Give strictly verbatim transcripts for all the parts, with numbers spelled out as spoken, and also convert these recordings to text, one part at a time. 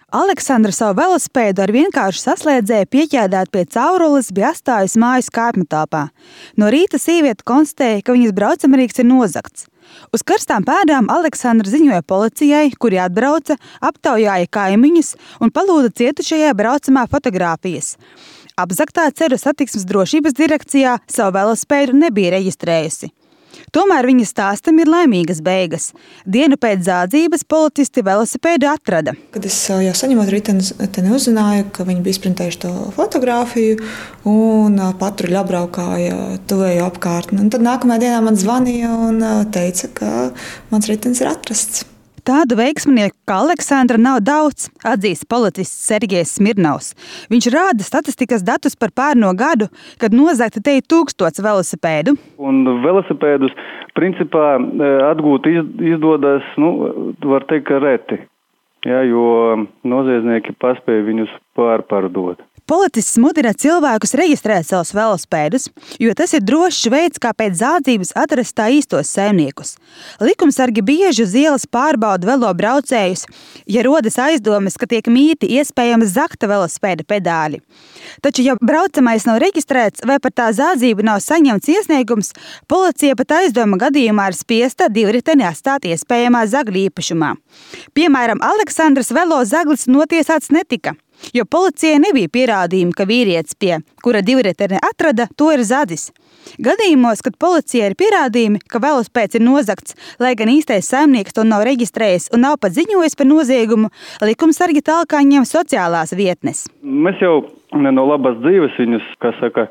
Aleksandra savu velosipēdu ar vienkāršu saslēdzēju pieķēdēt pie caurules bija atstājusi mājas kāpņu telpā. No rīta sieviete konstatēja, ka viņas braucamrīks ir nozagts. Uz karstām pēdām Aleksandra ziņoja policijai, kuri atbrauca, aptaujāja kaimiņus un palūdza cietušajai braucamā fotogrāfijas. Apzagtā Ceru satiksmes drošības direkcijā savu velosipēdu nebija reģistrējusi. Tomēr viņa stāstam ir laimīgas beigas. Dienu pēc zādzības policisti velosipēdu atrada. Kad es jau saņemot riteni uzzināju, ka viņi bija izprintējuši to fotogrāfiju un patruļi apbraukāja tuvējo apkārtni. Un tad nākamajā dienā man zvanīja un teica, ka mans ritenis ir atrasts. Tādu veiksminieku kā Aleksandra nav daudz, atzīst policists Sergejs Smirnovs. Viņš rāda statistikas datus par pērno gadu, kad nozagti te ir tūkstots velosipēdu. Un velosipēdus principā atgūt izdodas, nu, var teikt, ka reti, ja, jo noziedznieki paspēja viņus pārpārdot. Policists mudina cilvēkus reģistrēt savus velosipēdus, jo tas ir drošs veids, kā pēc zādzības atrast tā īstos saimniekus. Likumsargi bieži uz ielas pārbauda velo braucējus, ja rodas aizdomas, ka tiek mīti iespējams zakta velosipēda pedāļi. Taču, ja braucamais nav reģistrēts vai par tā zādzību nav saņemts iesniegums, policija pat aizdoma gadījumā ir spiesta divriteni atstāt iespējamā zagļa īpašumā. Piemēram, Aleksandras velo zaglis notiesāts netika, jo policijai nebija pierādījumi, ka vīrietis, pie kura divriteni atrada, to ir zadzis. Gadījumos, kad policijai ir pierādījumi, ka velosipēds ir nozagts, lai gan īstais saimnieks to nav reģistrējis un nav pat ziņojis par noziegumu, likumsargi talkā ņem sociālās vietnes. Mēs jau no labas dzīves viņus, kā saka,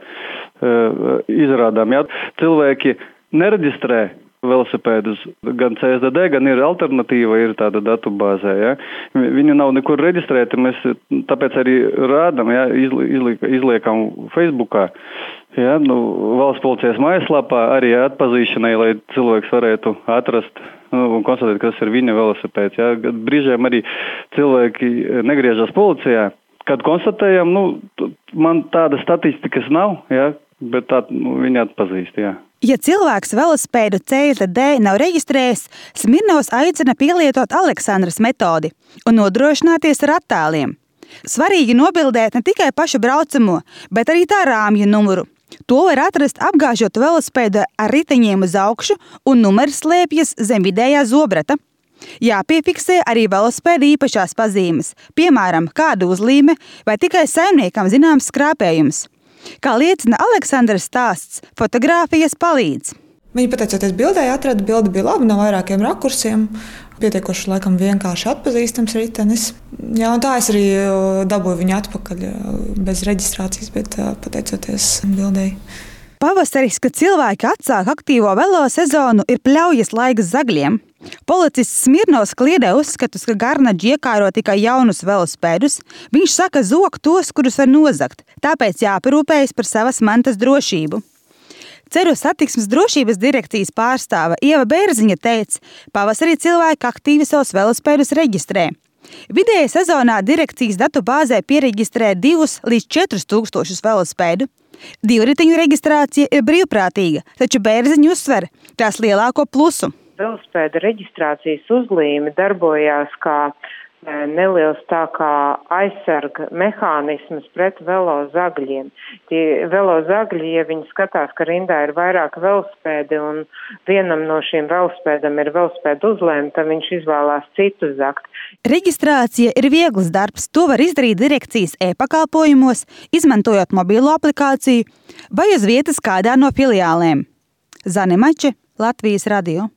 izrādām. Ja? Cilvēki nereģistrē velosipēdus, gan C S D D, gan ir alternatīva, ir tāda datubāzē. Ja? Viņu nav nekur reģistrēta, mēs tāpēc arī rādam, ja? Izliek, izliekam Facebookā. Ja? Nu, valsts policijas mājaslapā arī atpazīšanai, lai cilvēks varētu atrast nu, un konstatēt, kas ir viņa velosipēds. Ja? Brīžiem arī cilvēki negriežas policijā. Kad konstatējam, nu, man tāda statistikas nav, ja? Bet tā nu, viņa atpazīst, jā. Ja cilvēks velosipēdu C S D D nav reģistrējis, Smirnovs aicina pielietot Aleksandras metodi un nodrošināties ar attēliem. Svarīgi nobildēt ne tikai pašu braucamo, bet arī tā rāmja numuru. To var atrast apgāžot velosipēdu ar riteņiem uz augšu un numurs slēpjas zem vidējā zobrata. Jāpiefiksē arī velosipēda īpašās pazīmes, piemēram, kāda uzlīme vai tikai saimniekam zināms skrāpējums. Kā liecina Aleksandras stāsts, fotogrāfijas palīdz. Viņi pateicoties bildē atrada, bilde bija laba no vairākiem rakursiem, pietiekoši laikam vienkārši atpazīstams ritenis. Jā, un tā es arī dabūju viņu atpakaļ bez reģistrācijas, bet pateicoties bildei. Pavasaris, kad cilvēki atsāk aktīvo velo sezonu, ir pļaujas laiks zagļiem. Policists Smirnovs kliedē uzskatus, ka Garnaģi iekāro tikai jaunus velosipēdus. Viņš saka zog tos, kurus var nozagt, tāpēc jāparūpējas par savas mantas drošību. Ceru satiksmes drošības direkcijas pārstāve Ieva Bērziņa teica, pavasarī cilvēki aktīvi savus velosipēdus reģistrē. Vidēji sezonā direkcijas datu bāzē piereģistrē divus līdz četrus tūkstošus velosipēdu. Divriteņu reģistrācija ir brīvprātīga, taču Bērziņa uzsver tās lielāko plusu. Velosipēda reģistrācijas uzlīme darbojās kā neliels tā kā aizsarga mehānisms pret velo zagļiem. Tie velo zagļi, ja viņi skatās, ka rindā ir vairāk velosipēdi un vienam no šiem velosipēdam ir velosipēda uzlēma, tad viņš izvēlās citu zakt. Reģistrācija ir viegls darbs. To var izdarīt direkcijas e-pakalpojumos, izmantojot mobilo aplikāciju vai uz vietas kādā no filiālēm. Zane Mače, Latvijas radio.